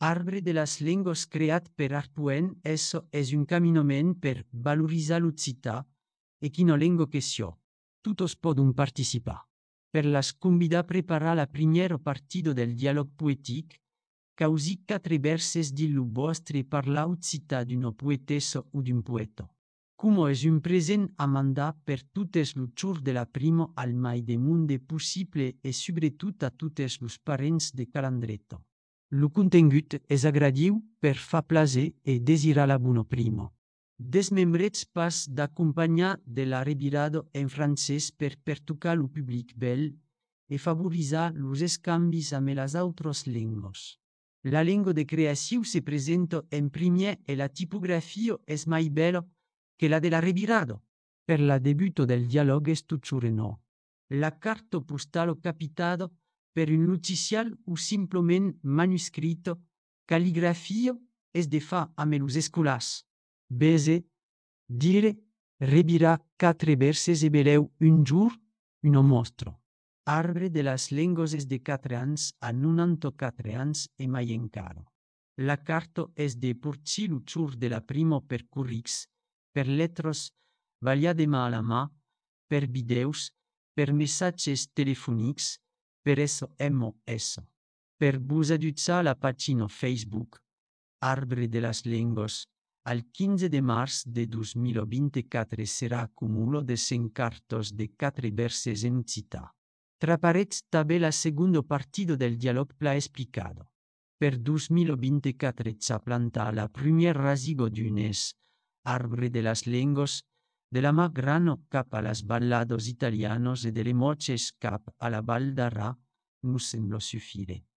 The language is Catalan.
Arbre de las lengües creat per Arpuen, esso es un caminament per valorizar l'occità e quina lengua que sia. Tutos podun participar. Per las convida a preparar la primiero partido del dialog poetic, causi 4 verses di lu vostre parlar occità d'una poetessa o d'un poeta. Como es un present a mandar per tutes lu chur de la primo al mai de munde possible e sobretot a tutes los parents de Calandretto. Lu contingut és agradiu per fa plaser e desirar la buno primo. Desmembrets pas d'acompanyar de la revirado en francès per pertocar lu public bel e favorizar los escambis amb las autros lengos. La lengua de creació se presenta en primer e la tipografia és mai bella que la de la revirado. Per la debuto del dialog es tucciure no. La carta postalo capitado per un noticial o simplement manuscrito, calligrafia es de fa amb los escolars. Bese, dire, revirar 4 verses e veleu un jour, una mostra. Arbre de las lengües és de 4 anys a 94 anys e mai encara. La carta és de porci lu chur de la primo per currix, per letros, valia de mà a la mà, per videus, per messatges telefonics, per SMS. Per vos adutza la pagina Facebook, Arbre de las lengües, al 15 de març de 2024 serà acumulo de 100 cartos de 4 verses en occità. Traparets també la segunda partido del dialog pla explicado. Per 2024 s'ha plantat la primer rasigo d'unes Arbre de las lengües, de la mà grano cap a las ballados italianos e de le moches cap a la Val d'Arà, nos sembla suffire.